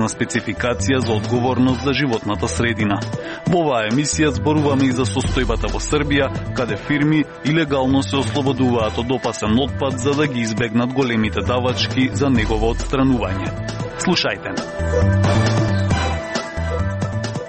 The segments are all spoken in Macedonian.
прецизна спецификација за одговорност за животната средина. Во оваа емисија зборуваме и за состојбата во Србија, каде фирми илегално се ослободуваат од опасен отпад за да ги избегнат големите давачки за негово отстранување. Слушајте.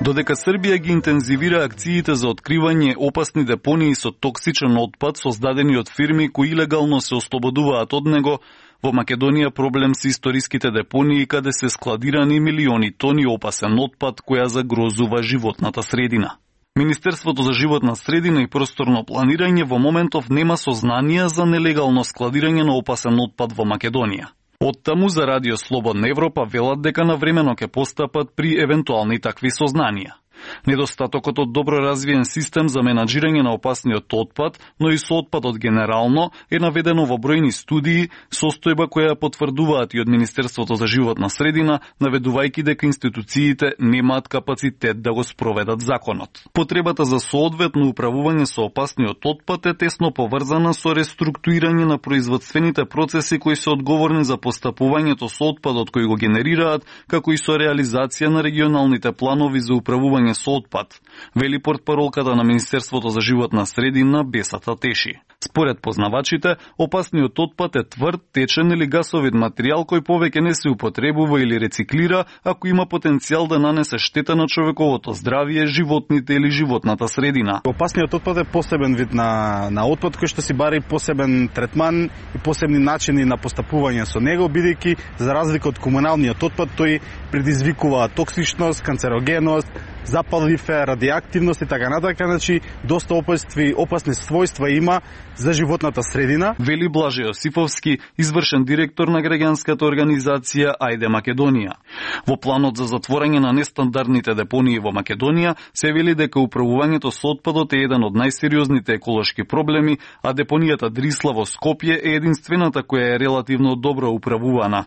Додека Србија ги интензивира акциите за откривање опасни депонии со токсичен отпад создадени од фирми кои илегално се ослободуваат од него, во Македонија проблем се историските депонии каде се складирани милиони тони опасен отпад која загрозува животната средина. Министерството за животна средина и просторно планирање во моментов нема сознанија за нелегално складирање на опасен отпад во Македонија. Оттаму за Радио Слободна Европа велат дека навремено ќе постапат при евентуални такви сознанија. Недостатокот од добро развиен систем за менаџирање на опасниот отпад, но и со отпадот генерално, е наведено во бројни студии, состојба која потврдуваат и од Министерството за животна средина, наведувајќи дека институциите немаат капацитет да го спроведат законот. Потребата за соодветно управување со опасниот отпад е тесно поврзана со реструктурирање на производствените процеси кои се одговорни за постапувањето со отпадот кој го генерираат, како и со реализација на регионалните планови за управување со отпад, вели портпаролката на Министерството за животна средина Бесата Теши. Според познавачите, опасниот отпад е тврд, течен или гасовит материјал кој повеќе не се употребува или рециклира, ако има потенцијал да нанесе штета на човековото здравје, животните или животната средина. Опасниот отпад е посебен вид на отпад кој што си бари посебен третман и посебни начини на постапување со него, бидејќи за разлика од комуналниот отпад тој предизвикува токсичност, канцерогеност, запалив е, радиоактивност и така натака, значи доста опасни својства има за животната средина. Вели Блаже Јосифовски, извршен директор на граѓанската организација Ајде Македонија. Во планот за затворање на нестандардните депонии во Македонија се вели дека управувањето со отпадот е еден од најсериозните еколошки проблеми, а депонијата Дрисла во Скопје е единствената која е релативно добро управувана.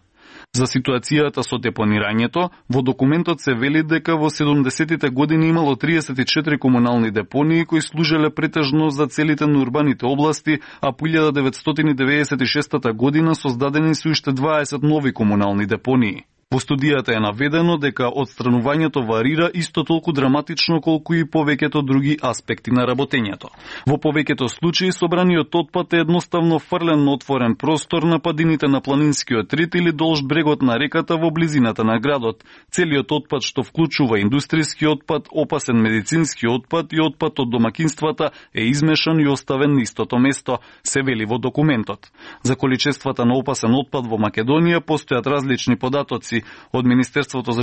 За ситуацијата со депонирањето, во документот се вели дека во 70-тите години имало 34 комунални депонии кои служеле претежно за целите на урбаните области, а по 1996 година создадени се уште 20 нови комунални депонии. Во студијата е наведено дека отстранувањето варира исто толку драматично колку и повеќето други аспекти на работењето. Во повеќето случаи собраниот отпад е едноставно фрлен на отворен простор на падините на планинскиот рид или долж брегот на реката во близината на градот. Целиот отпад што вклучува индустријски отпад, опасен медицински отпад и отпад од домакинствата е измешан и оставен на истото место, се вели во документот. За количествата на опасен отпад во Македонија постојат различни податоци. Од Министерството за